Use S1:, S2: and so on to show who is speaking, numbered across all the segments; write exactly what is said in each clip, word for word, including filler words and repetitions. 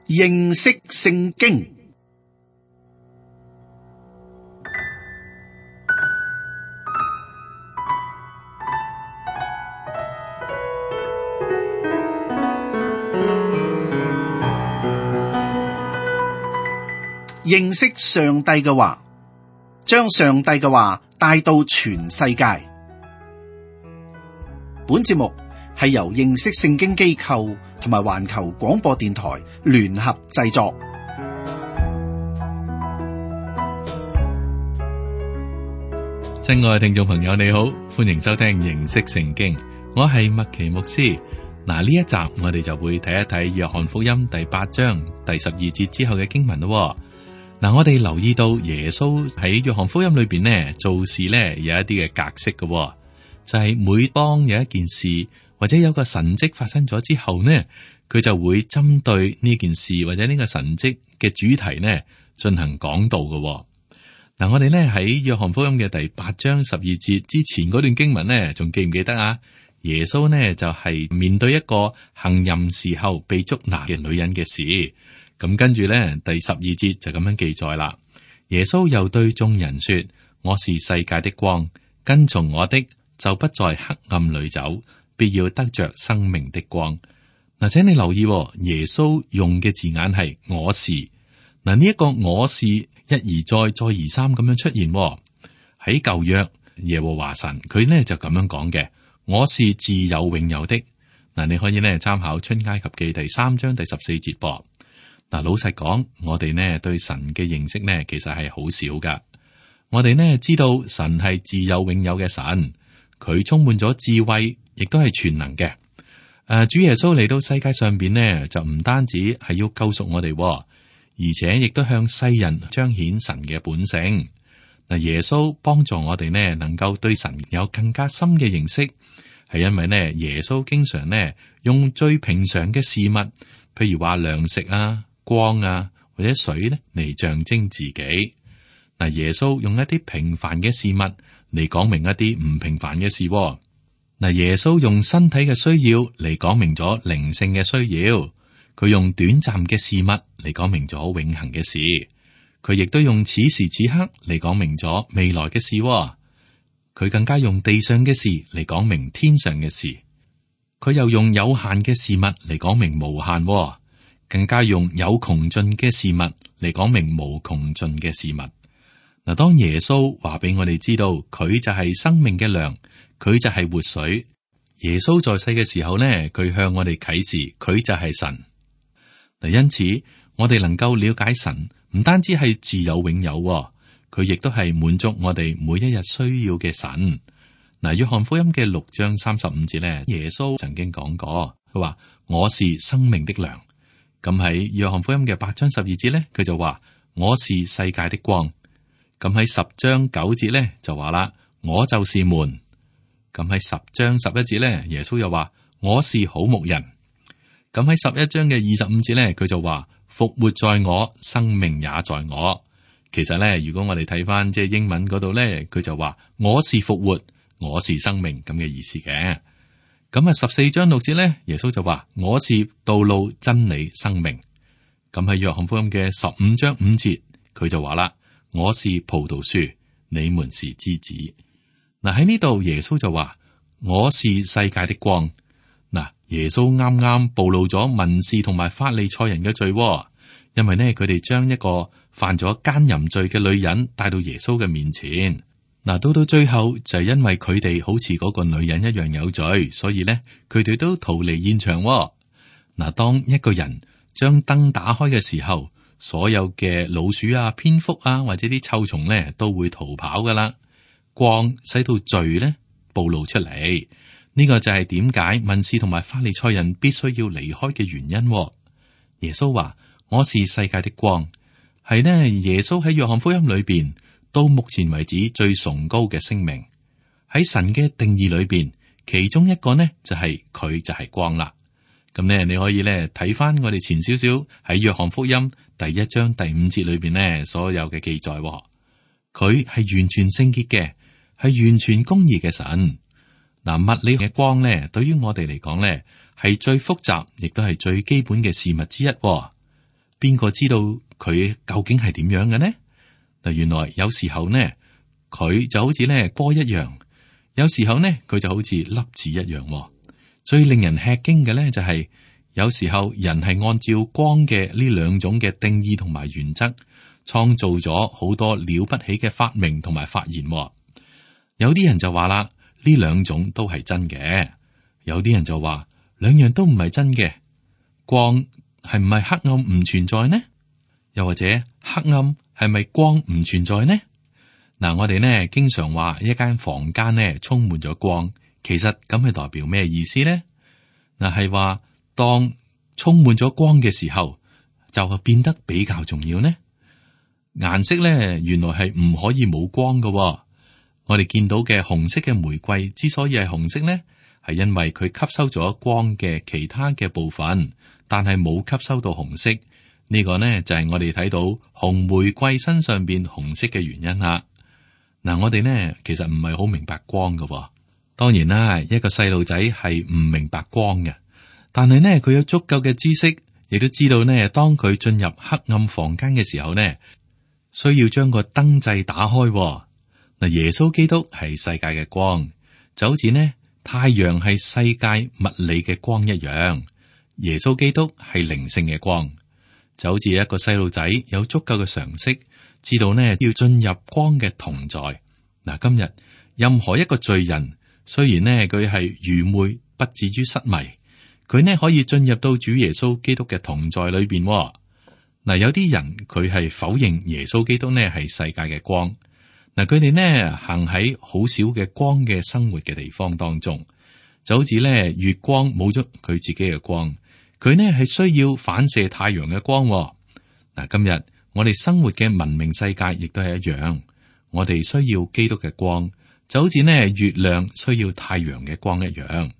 S1: 認識聖經。認識上帝嘅話，將上帝嘅話帶到全世界。本節目係由認識聖經機構同埋環球廣播電台聯合製作。
S2: 親愛嘅聽眾朋友，你好，歡迎收聽認識聖經，我係麥奇牧師。嗱，呢一集我哋就會睇一睇約翰福音第八章第十二節之後嘅經文咯。嗱，我哋留意到耶穌喺約翰福音裏邊呢，做事呢有一啲嘅格式嘅，就係每當有一件事或者有個神蹟發生咗之後呢，佢就會針對呢件事或者呢個神蹟嘅主題呢進行講道嘅。嗱，我哋呢喺約翰福音嘅第八章十二節之前嗰段經文呢，仲記唔記得啊？耶穌呢就係面對一個行淫時候被捉拿嘅女人嘅事。咁跟住咧，第十二節就咁樣記載啦。耶穌又對眾人說：我是世界的光，跟從我的就不在黑暗裏走，必要得着生命的光。嗱，請你留意，耶穌用嘅字眼係我是。嗱，呢一個我是一而再，再而三咁樣出現喺舊約耶和華神，佢呢就咁樣講嘅：我是自有永有的。嗱，你可以呢參考出埃及記第三章第十四節噃。嗱，老實講，我哋呢對神嘅認識呢，其實係好少噶。我哋呢知道神係自有永有嘅神，佢充滿咗智慧，亦都係全能嘅。誒、啊，主耶穌嚟到世界上邊呢，就唔單止係要救贖我哋，而且亦都向世人彰顯神嘅本性。嗱，耶穌幫助我哋呢，能夠對神有更加深嘅認識，係因為呢，耶穌經常呢用最平常嘅事物，譬如話糧食啊、光啊或者水咧嚟象徵自己。嗱，耶穌用一啲平凡嘅事物嚟講明一啲唔平凡嘅事。嗱，耶穌用身體嘅需要嚟講明咗靈性嘅需要，佢用短暫嘅事物嚟講明咗永恆嘅事，佢亦都用此時此刻嚟講明咗未來嘅事。佢更加用地上嘅事嚟講明天上嘅事，佢又用有限嘅事物嚟講明無限。更加用有窮盡嘅事物嚟講明無窮盡嘅事物。嗱，當耶穌話俾我哋知道佢就係生命嘅糧，佢就係活水。耶穌在世嘅時候呢，佢向我哋啟示佢就係神。嗱，因此我哋能夠了解神，唔單止係自有永有，佢亦都係滿足我哋每一日需要嘅神。嗱，約翰福音嘅六章三十五節呢，耶穌曾經講過，佢話我是生命的糧。咁喺約翰福音嘅八章十二節咧，佢就話我是世界的光。咁喺十章九節咧就話啦，我就是門。咁喺十章十一節咧，耶穌又話我是好牧人。咁喺十一章嘅二十五節咧，佢就話復活在我，生命也在我。其實咧，如果我哋睇翻即係英文嗰度咧，佢就話我是復活，我是生命咁嘅意思嘅。咁啊，十四章六節咧，耶穌就話我是道路、真理、生命。咁喺約翰福音嘅十五章五節，佢就話啦，我是葡萄樹，你們是枝子。嗱，喺呢度耶穌就話我是世界的光。嗱，耶穌啱啱暴露咗文士同埋法利賽人嘅罪，因為呢，佢哋將一個犯咗奸淫罪嘅女人帶到耶穌嘅面前。嗱，到到最後就係因為佢哋好似嗰個女人一樣有罪，所以咧佢哋都逃離現場。嗱，當一個人將燈打開嘅時候，所有嘅老鼠啊、蝙蝠啊或者啲臭蟲咧都會逃跑噶啦。光使到罪咧暴露出嚟，呢個就係點解文士同埋法利賽人必須要離開嘅原因。耶穌話我是世界的光，係呢耶穌喺約翰福音裏邊到目前為止最崇高嘅聲明。喺神嘅定義裏邊，其中一個呢就係、是、佢就係光啦。咁呢，你可以咧睇翻我哋前少少喺約翰福音第一章第五節裏邊呢所有嘅記載。佢係完全聖潔嘅，係完全公義嘅神。嗱，物理嘅光咧，對於我哋嚟講咧，係最複雜，亦都係最基本嘅事物之一。邊個知道佢究竟係點樣嘅呢？嗱，原來有時候呢，佢就好似呢波一樣，有時候呢，佢就好似粒子一樣。最令人吃驚嘅呢，就係有時候人係按照光嘅呢兩種嘅定義同埋原則，創造咗好多了不起嘅發明同埋發現。有啲人就話啦，呢兩種都係真嘅；有啲人就話兩樣都唔係真嘅。光係唔係黑暗唔存在呢？又或者黑暗係咪光唔存在呢？嗱，我哋呢經常話一間房間呢充滿咗光。其實咁係代表咩意思呢？嗱，係話當充滿咗光嘅時候，就變得比較重要呢。顏色咧，原來係唔可以冇光嘅。我哋見到嘅紅色嘅玫瑰之所以係紅色呢，係因為佢吸收咗光嘅其他嘅部分，但係冇吸收到紅色。呢個呢就係我哋睇到紅玫瑰身上邊紅色嘅原因啦。嗱，我哋呢其實唔係好明白光嘅。當然啦，一個細路仔係唔明白光嘅，但係呢，佢有足夠嘅知識，亦都知道呢，當佢進入黑暗房間嘅時候呢，需要將個燈掣打開。嗱，耶穌基督係世界嘅光，就好似呢太陽係世界物理嘅光一樣，耶穌基督係靈性嘅光，就好似一個細路仔有足夠嘅常識，知道呢要進入光嘅同在。嗱，今日任何一個罪人，雖然呢，佢係愚昧，不至於失迷，佢呢可以進入到主耶穌基督嘅同在裏邊。嗱，有啲人佢係否認耶穌基督呢係世界嘅光。嗱，佢哋呢行喺好少嘅光嘅生活嘅地方當中，就好似呢月光冇咗佢自己嘅光，佢呢係需要反射太陽嘅光。嗱，今日我哋生活嘅文明世界亦都係一樣，我哋需要基督嘅光。就好似呢月亮需要太陽嘅光一樣。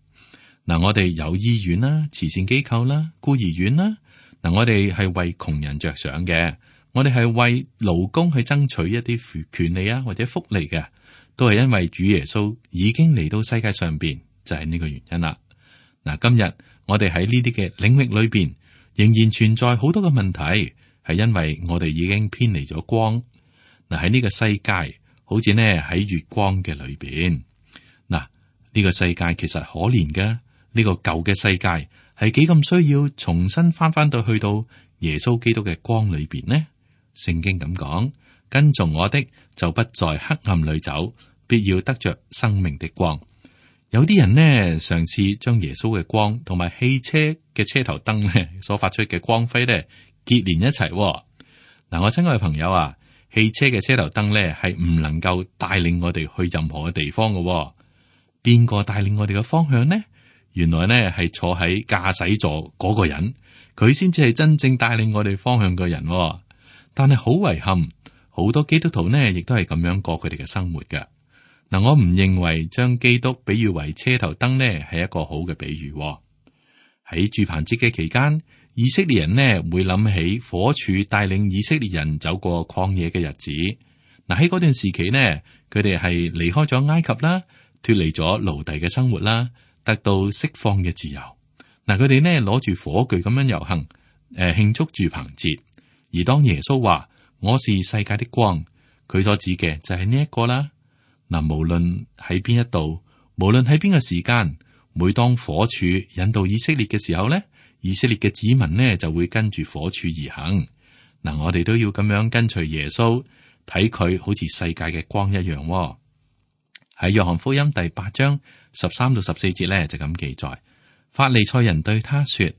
S2: 嗱，我哋有醫院啦、慈善機構啦、孤兒院啦。嗱，我哋係為窮人着想嘅，我哋係為勞工去爭取一啲權利啊或者福利嘅，都係因為主耶穌已經嚟到世界上邊，就係呢個原因啦。嗱，今日我哋喺呢啲嘅領域裏邊，仍然存在好多嘅問題，係因為我哋已經偏離咗光。嗱，喺呢個世界。好似呢喺月光嘅裏邊，嗱，呢個世界其實可憐嘅，呢個舊嘅世界係幾咁需要重新翻翻到去到耶穌基督嘅光裏邊呢？聖經咁講，跟從我的就不在黑暗裏走，必要得着生命的光。有啲人呢嘗試將耶穌嘅光同埋汽車嘅車頭燈呢所發出嘅光輝呢結連一齊。嗱，我親愛嘅朋友啊，汽車嘅車頭燈咧，係唔能夠帶領我哋去任何嘅地方嘅、哦。邊個帶領我哋嘅方向呢？原來呢係坐喺駕駛座嗰個人，佢先至係真正帶領我哋方向嘅人、哦。但係好遺憾，好多基督徒呢亦都係咁樣過佢哋嘅生活嘅。嗱，我唔認為將基督比喻為車頭燈呢係一個好嘅比喻、哦。喺住棚節嘅期間，以色列人呢會諗起火柱帶領以色列人走過曠野嘅日子。嗱，喺嗰段時期呢，佢哋係離開咗埃及啦，脫離咗奴隸嘅生活啦，得到釋放嘅自由。嗱，佢哋呢攞住火炬咁樣遊行，誒、呃、慶祝住棚節。而當耶穌話我是世界的光，佢所指嘅就係呢一個啦。嗱，無論喺邊一度，無論喺邊個時間，每當火柱引導以色列嘅時候呢，以色列嘅子民呢就會跟住火柱而行。嗱，我哋都要咁樣跟隨耶穌，睇佢好似世界嘅光一樣、哦。喺約翰福音第八章十三到十四節呢，就咁記載：法利賽人對他說，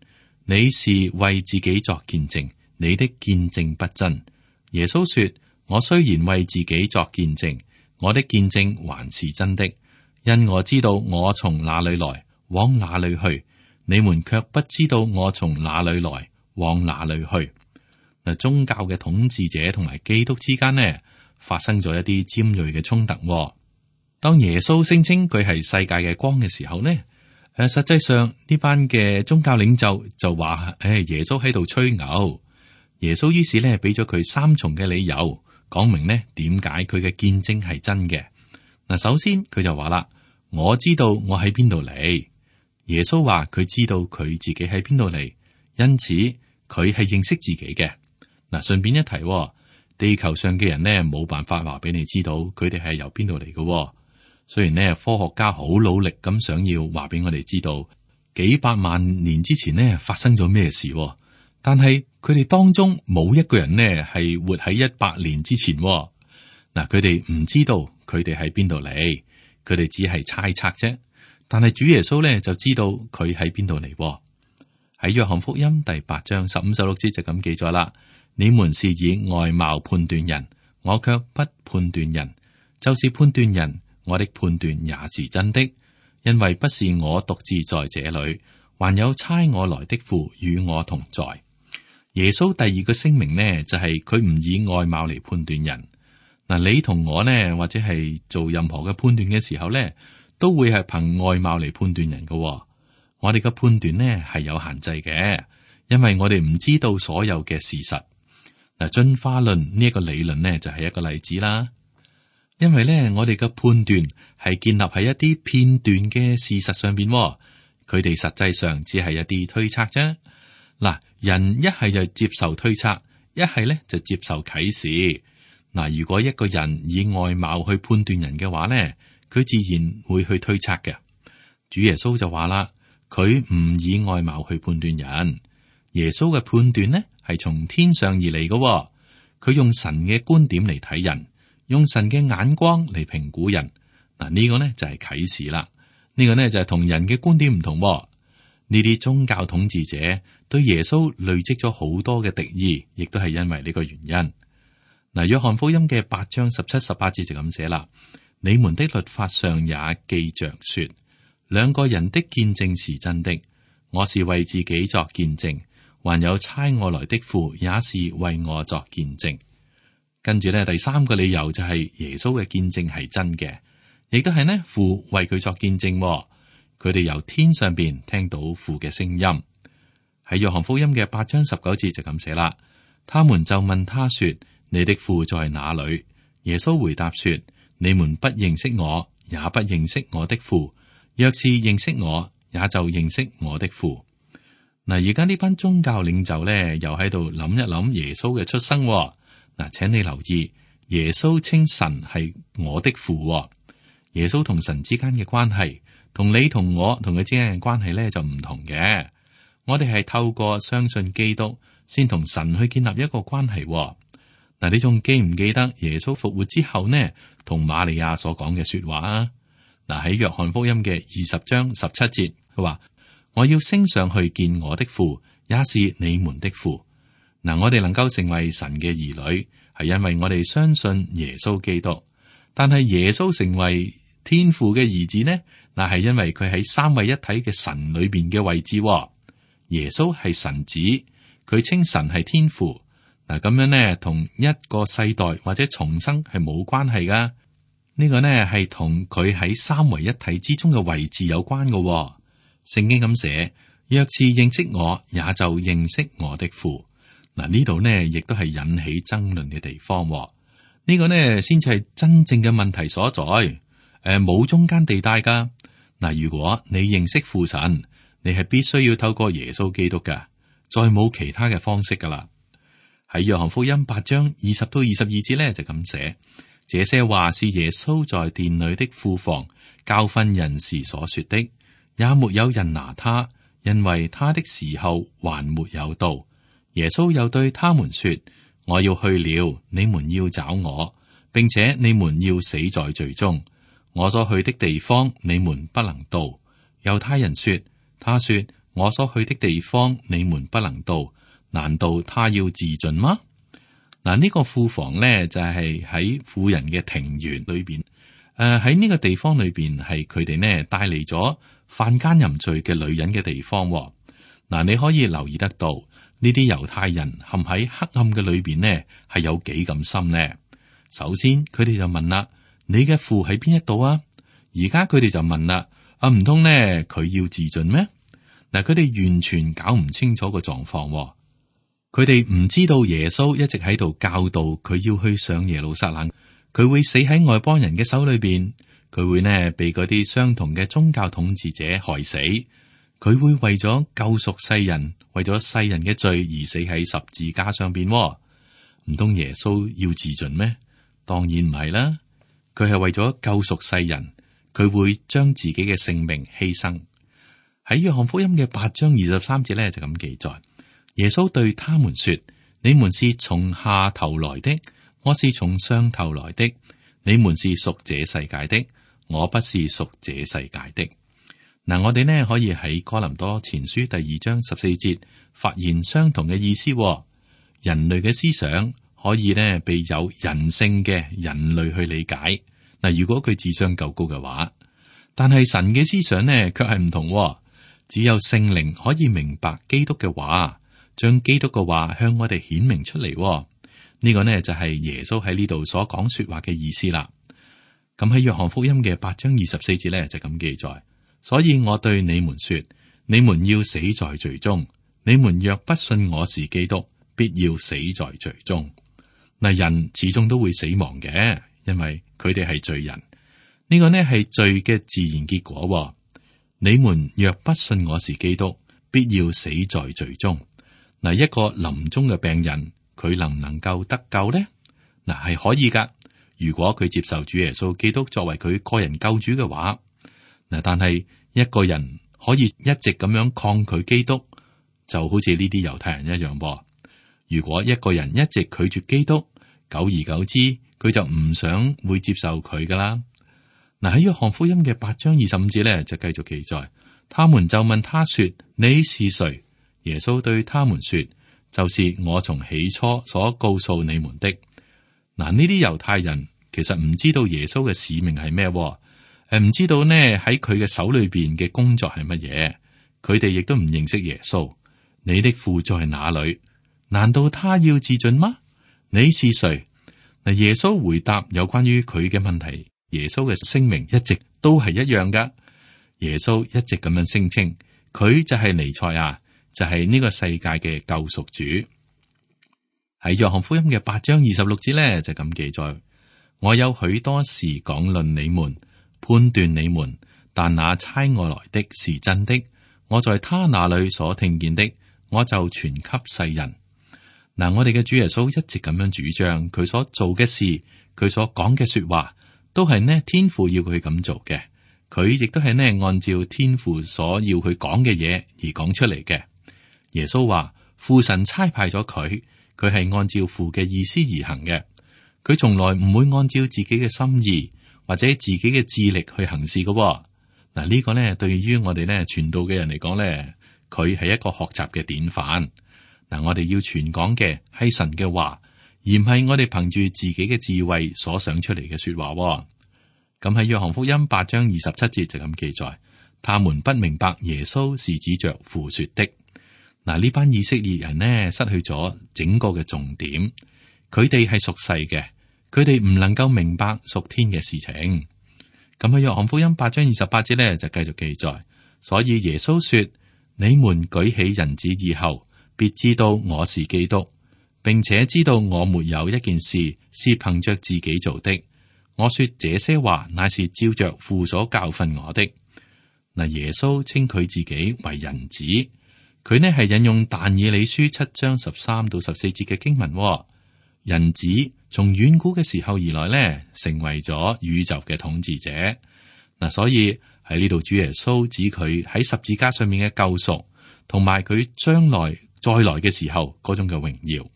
S2: 你是為自己作見證，你的見證不真。耶穌說，我雖然為自己作見證，我的見證還是真的，因我知道我從哪裏來，往哪裏去。你們卻不知道我從哪裏來，往哪裏去。嗱，宗教嘅統治者同埋基督之間呢，發生咗一啲尖銳嘅衝突。當耶穌聲稱佢係世界嘅光嘅時候呢，誒，實際上呢班嘅宗教領袖就話：誒，耶穌喺度吹牛。耶穌於是呢，俾咗佢三重嘅理由，講明呢點解佢嘅見證係真嘅。嗱，首先佢就話啦：我知道我喺邊度嚟。耶穌話佢知道佢自己喺邊度嚟，因此佢係認識自己嘅。嗱，順便一提，地球上嘅人呢，冇辦法話俾你知道佢哋係由邊度嚟嘅。雖然呢，科學家好努力咁想要話俾我哋知道幾百萬年之前呢發生咗咩事，但係佢哋當中冇一個人呢係活喺一百年之前。嗱，佢哋唔知道佢哋喺邊度嚟，佢哋只係猜測啫。但係主耶穌呢就知道佢喺邊度嚟。喺約翰福音第八章十五十六節就咁記載啦。你們是以外貌判斷人，我卻不判斷人，就是判斷人，我的判斷也是真的，因為不是我獨自在這裏，還有差我來的父與我同在。耶穌第二個聲明呢，就係佢唔以外貌嚟判斷人。嗱，你同我呢，或者係做任何嘅判斷嘅時候呢，都會係憑外貌嚟判斷人嘅。我哋嘅判斷呢係有限制嘅，因為我哋唔知道所有嘅事實。嗱，進化論呢一個理論呢，就係一個例子啦。因為咧，我哋嘅判斷係建立喺一啲片段嘅事實上邊，佢哋實際上只係一啲推測啫。嗱，人一係就接受推測，一係咧就接受啟示。嗱，如果一個人以外貌去判斷人嘅話咧，佢自然會去推測嘅。主耶穌就話啦，佢唔以外貌去判斷人。耶穌嘅判斷呢，係從天上而嚟嘅，佢用神嘅觀點嚟睇人，用神嘅眼光嚟評估人。嗱，呢個呢就係啟示啦。呢個呢就係同人嘅觀點唔同。呢啲宗教統治者對耶穌累積咗好多嘅敵意，亦都係因為呢個原因。嗱，約翰福音嘅八章十七、十八節就咁寫啦。你們的律法上也記着說，兩個人的見證是真的。我是為自己作見證，還有差我來的父也是為我作見證。跟住咧，第三個理由就係耶穌嘅見證係真嘅，亦都係呢父為佢作見證。佢哋由天上邊聽到父嘅聲音。喺約翰福音嘅八章十九節就咁寫啦。他們就問他說：你的父在哪裏？耶穌回答說：你們不認識我，也不認識我的父。若是認識我，也就認識我的父。嗱，而家呢班宗教領袖咧，又喺度諗一諗耶穌嘅出生。嗱，請你留意，耶穌稱神係我的父。耶穌同神之間嘅關係，同你同我同佢之間嘅關係咧就唔同嘅。我哋係透過相信基督，先同神去建立一個關係。嗱，你仲記唔記得耶穌復活之後呢，同瑪利亞所講嘅說話啊？嗱，喺約翰福音嘅二十章十七節，佢話：我要升上去見我的父，也是你們的父。嗱，我哋能夠成為神嘅兒女，係因為我哋相信耶穌基督。但係耶穌成為天父嘅兒子呢？嗱，係因為佢喺三位一體嘅神裏邊嘅位置。耶穌係神子，佢稱神係天父。嗱，咁樣呢，同一個世代或者重生係冇關係噶。呢個呢係同佢喺三位一體之中嘅位置有關嘅。聖經咁寫：若是認識我，也就認識我的父。嗱，呢度呢亦都係引起爭論嘅地方。呢個呢先至係真正嘅問題所在。誒，冇中間地帶噶。嗱，如果你認識父神，你係必須要透過耶穌基督噶，再冇其他嘅方式噶啦。喺約翰福音八章二十到二十二節呢，就咁寫：這些話是耶穌在殿裏的庫房教訓人時所說的，也沒有人拿他，因為他的時候還沒有到。耶穌又對他們說：我要去了，你們要找我，並且你們要死在罪中。我所去的地方，你們不能到。猶太人說：他說我所去的地方，你們不能到。難道他要自盡嗎？嗱，呢個庫房咧就係喺婦人嘅庭園裏邊。誒，喺呢個地方裏邊係佢哋呢帶嚟咗犯奸淫罪嘅女人嘅地方。嗱，你可以留意得到呢啲猶太人陷喺黑暗嘅裏邊呢係有幾咁深呢？首先佢哋就問啦：你嘅父喺邊一度啊？而家佢哋就問啦：啊，唔通呢佢要自盡咩？嗱，佢哋完全搞唔清楚個狀況。佢哋唔知道耶穌一直喺度教導佢要去上耶路撒冷，佢會死喺外邦人嘅手裏邊，佢會呢被嗰啲相同嘅宗教統治者害死，佢會為咗救贖世人，為咗世人嘅罪而死喺十字架上邊。唔通耶穌要自盡咩？當然唔係啦，佢係為咗救贖世人，佢會將自己嘅性命犧牲。喺約翰福音嘅八章二十三節咧就咁記載，耶穌對他們說：你們是從下頭來的，我是從上頭來的。你們是屬這世界的，我不是屬這世界的。嗱，我哋呢可以喺哥林多前書第二章十四節發現相同嘅意思。人類嘅思想可以呢被有人性嘅人類去理解。嗱，如果佢智商夠高嘅話，但係神嘅思想呢卻係唔同。只有聖靈可以明白基督嘅話，將基督嘅話向我哋顯明出嚟。呢個呢就係耶穌喺呢度所講說話嘅意思啦。咁喺約翰福音嘅八章二十四節呢就咁記載，所以我對你們說，你們要死在罪中。你們若不信我是基督，必要死在罪中。嗱，人始終都會死亡嘅，因為佢哋係罪人。呢個呢係罪嘅自然結果。你們若不信我是基督，必要死在罪中。嗱，一個臨終嘅病人，佢能唔能夠得救呢？嗱，係可以噶。如果佢接受主耶穌基督作為佢個人救主嘅話，嗱，但係一個人可以一直咁樣抗拒基督，就好似呢啲猶太人一樣噃。如果一個人一直拒絕基督，久而久之，佢就唔想會接受佢噶啦。嗱，喺約翰福音嘅八章二十五節咧，就繼續記載，他們就問他說：你是誰？耶穌對他們說：就是我從起初所告訴你們的。嗱，呢啲猶太人其實唔知道耶穌嘅使命係咩，誒，唔知道呢喺佢嘅手裏邊嘅工作係乜嘢，佢哋亦都唔認識耶穌。你的父在哪裏？難道他要自盡嗎？你是誰？嗱，耶穌回答有關於佢嘅問題。耶穌嘅聲明一直都係一樣噶。耶穌一直咁樣聲稱，佢就係彌賽亞，就係呢個世界嘅救贖主。喺約翰福音嘅八章二十六節咧，就咁記載：我有許多事講論你們，判斷你們，但那差我來的是真的。我在他那裏所聽見的，我就傳給世人。嗱，我哋嘅主耶穌一直咁樣主張，佢所做嘅事，佢所講嘅說話。都係呢天父要佢咁做嘅，佢亦都係呢按照天父所要佢講嘅嘢而講出嚟嘅。耶穌話父神差派咗佢，佢係按照父嘅意思而行嘅。佢從來唔會按照自己嘅心意或者自己嘅智力去行事嘅。嗱，呢個呢對於我哋呢傳道嘅人嚟講呢，佢係一個學習嘅典範。嗱，我哋要傳講嘅係神嘅話，而唔係我哋憑住自己嘅智慧所想出嚟嘅說話。咁喺約翰福音八章二十七節就咁記載，他們不明白耶穌是指着父說的。嗱，呢班以色列人呢失去咗整個嘅重點，佢哋係屬世嘅，佢哋唔能夠明白屬天嘅事情。咁喺約翰福音八章二十八節呢就繼續記載，所以耶穌說：你們舉起人子以後，必知道我是基督。並且知道我沒有一件事是憑着自己做的。我說這些話，乃是照着父所教訓我的。嗱，耶穌稱佢自己為人子，佢呢係引用但以理書七章十三到十四節嘅經文。人子從遠古嘅時候而來呢，成為咗宇宙嘅統治者。嗱，所以喺呢度主耶穌指佢喺十字架上面嘅救贖，同埋佢將來再來嘅時候嗰種嘅榮耀。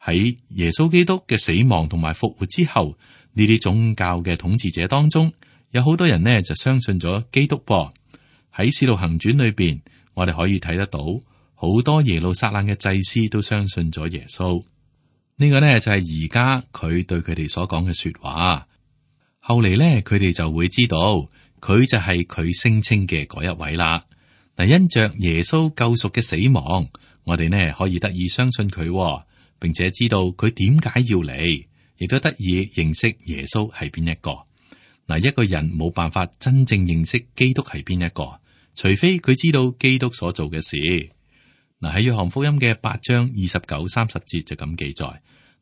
S2: 喺耶穌基督嘅死亡同埋復活之後，呢啲宗教嘅統治者當中，有好多人呢就相信咗基督噃。喺使徒行傳裏邊，我哋可以睇得到好多耶路撒冷嘅祭司都相信咗耶穌。呢個呢就係而家佢對佢哋所講嘅說話。後嚟呢，佢哋就會知道佢就係佢聲稱嘅嗰一位啦。嗱，因着耶穌救贖嘅死亡，我哋呢可以得以相信佢，並且知道佢點解要嚟，亦都得以認識耶穌係邊一個。嗱，一個人冇辦法真正認識基督係邊一個，除非佢知道基督所做嘅事。嗱，喺約翰福音嘅八章二十九、三十節就咁記載：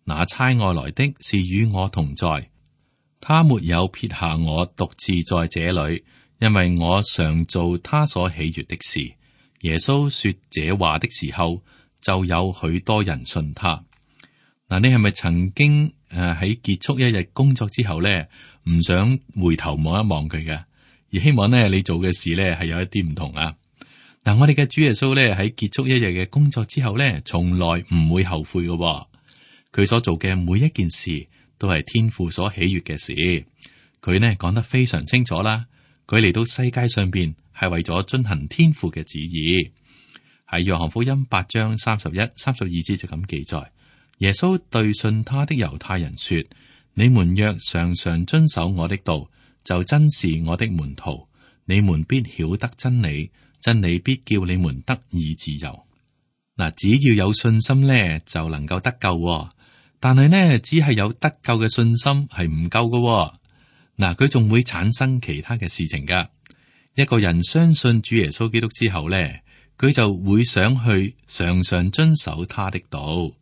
S2: 那差我來的是與我同在，他沒有撇下我獨自在這裏，因為我常做他所喜悅的事。耶穌說這話的時候，就有許多人信他。嗱，你係咪曾經誒喺結束一日工作之後咧，唔想回頭望一望佢嘅，而希望咧你做嘅事咧係有一啲唔同啊？嗱，我哋嘅主耶穌咧喺結束一日嘅工作之後咧，從來唔會後悔嘅。佢所做嘅每一件事都係天父所喜悅嘅事。佢呢講得非常清楚啦。佢嚟到世界上邊係為咗遵行天父嘅旨意。喺約翰福音八章三十一、三十二節就咁記載。耶穌對信他的猶太人說：你們若常常遵守我的道，就真是我的門徒。你們必曉得真理，真理必叫你們得以自由。嗱，只要有信心咧，就能夠得救。但係呢，只係有得救嘅信心係唔夠嘅。嗱，佢仲會產生其他嘅事情噶。一個人相信主耶穌基督之後咧，佢就會想去常常遵守他的道。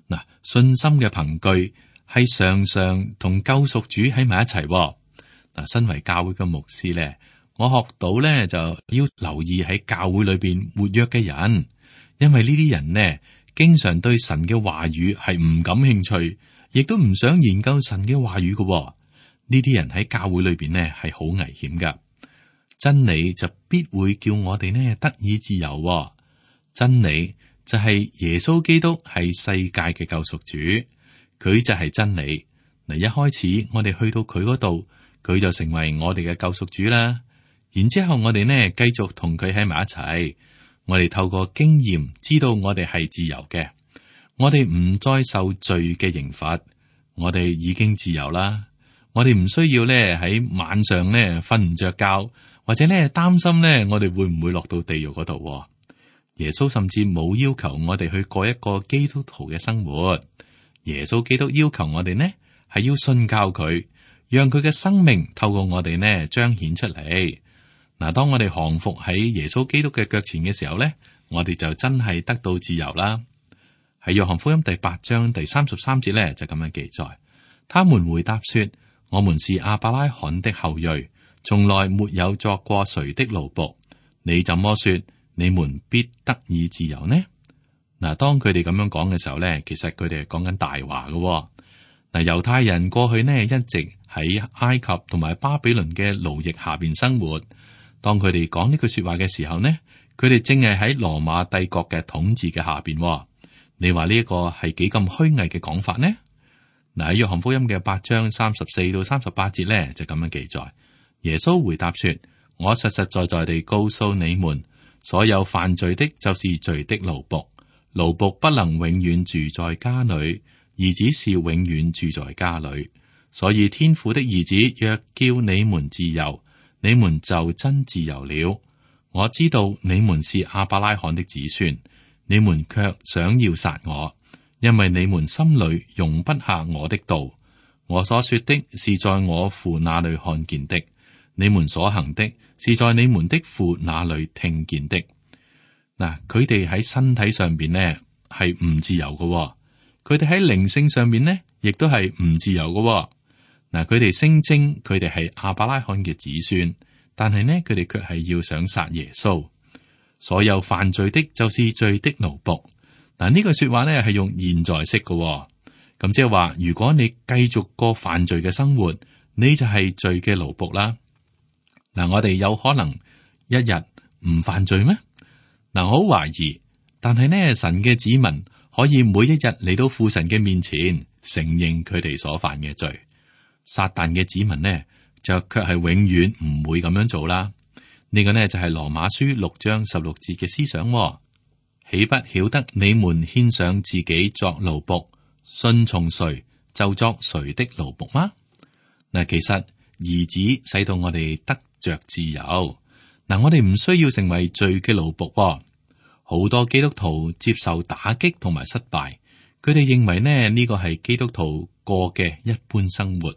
S2: 嗱，信心嘅憑據係常常同救贖主喺埋一齊。嗱，身為教會嘅牧師咧，我學到咧就要留意喺教會裏邊活躍嘅人，因為呢啲人呢，經常對神嘅話語係唔感興趣，亦都唔想研究神嘅話語嘅。呢啲人喺教會裏邊呢係好危險噶。真理就必會叫我哋呢得以自由。真理就係耶穌基督係世界嘅救贖主，佢就係真理。嗱，一開始我哋去到佢嗰度，佢就成為我哋嘅救贖主啦。然之後我哋呢繼續同佢喺埋一齊，我哋透過經驗知道我哋係自由嘅，我哋唔再受罪嘅刑罰，我哋已經自由啦。我哋唔需要咧喺晚上咧瞓唔着覺，或者咧擔心咧我哋會唔會落到地獄嗰度。耶穌甚至冇要求我哋去過一個基督徒嘅生活。耶穌基督要求我哋呢係要信靠佢，讓佢嘅生命透過我哋呢彰顯出嚟。嗱，當我哋降服喺耶穌基督嘅腳前嘅時候咧，我哋就真係得到自由啦。喺約翰福音第八章第三十三節咧就咁樣記載，他們回答說：我們是亞伯拉罕的後裔，從來沒有作過誰的奴僕。你怎麼說你們必得以自由呢？嗱，當佢哋咁樣講嘅時候咧，其實佢哋係講緊大話嘅。嗱，猶太人過去呢一直喺埃及同埋巴比倫嘅奴役下邊生活。當佢哋講呢句說話嘅時候呢，佢哋正係喺羅馬帝國嘅統治嘅下邊。你話呢一個係幾咁虛偽嘅講法呢？嗱，喺約翰福音嘅八章三十四到三十八節咧就咁樣記載。耶穌回答說：我實實在在地告訴你們，所有犯罪的，就是罪的奴僕。奴僕不能永遠住在家裏，兒子是永遠住在家裏。所以天父的兒子若叫你們自由，你們就真自由了。我知道你們是亞伯拉罕的子孫，你們卻想要殺我，因為你們心裏容不下我的道。我所說的是在我父那裏看見的，你們所行的是在你們的父那裏聽見的。嗱，佢哋喺身體上邊呢係唔自由嘅，佢哋喺靈性上邊呢亦都係唔自由嘅。嗱，佢哋聲稱佢哋係亞伯拉罕嘅子孫，但係呢佢哋卻係要想殺耶穌。所有犯罪的，就是罪的奴僕。嗱，呢句說話呢係用現在式嘅，咁即係話，如果你繼續過犯罪嘅生活，你就係罪嘅奴僕啦。嗱，我哋有可能一日唔犯罪咩？嗱，我好懷疑，但係呢，神嘅子民可以每一日嚟到父神嘅面前，承認佢哋所犯嘅罪。撒旦嘅子民呢，就卻係永遠唔會咁樣做啦。呢個呢就係羅馬書六章十六節嘅思想。豈不曉得你們獻上自己作奴僕，順從誰就作誰的奴僕嗎？嗱，其實兒子使到我哋得着自由。嗱，我哋唔需要成為罪嘅奴僕。好多基督徒接受打擊同埋失敗，佢哋認為呢呢個係基督徒過嘅一般生活。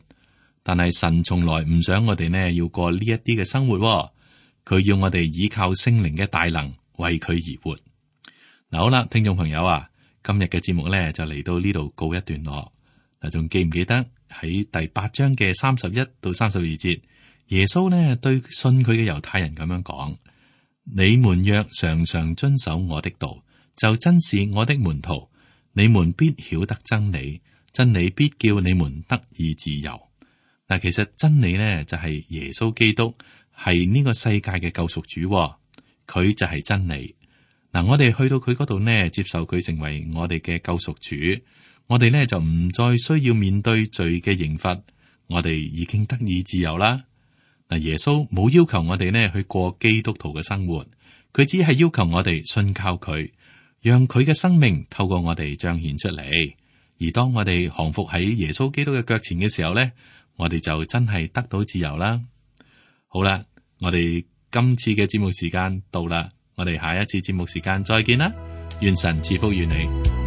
S2: 但係神從來唔想我哋呢要過呢一啲嘅生活。佢要我哋依靠聖靈嘅大能為佢而活。嗱，好啦，聽眾朋友啊，今日嘅節目咧就嚟到呢度告一段落。嗱，仲記唔記得喺第八章嘅三十一到三十二節，耶穌呢對信佢嘅猶太人咁樣講：你們若常常遵守我的道，就真是我的門徒。你們必曉得真理，真理必叫你們得以自由。嗱，其實真理呢，就係耶穌基督係呢個世界嘅救贖主，佢就係真理。嗱，我哋去到佢嗰度呢，接受佢成為我哋嘅救贖主，我哋呢就唔再需要面對罪嘅刑罰，我哋已經得以自由啦。嗱，耶穌冇要求我哋呢去過基督徒嘅生活，佢只係要求我哋信靠佢，讓佢嘅生命透過我哋彰顯出嚟。而當我哋降服喺耶穌基督嘅腳前嘅時候呢，我哋就真係得到自由啦。好啦，我哋今次嘅節目時間到啦，我哋下一次節目時間再見啦，願神賜福於你。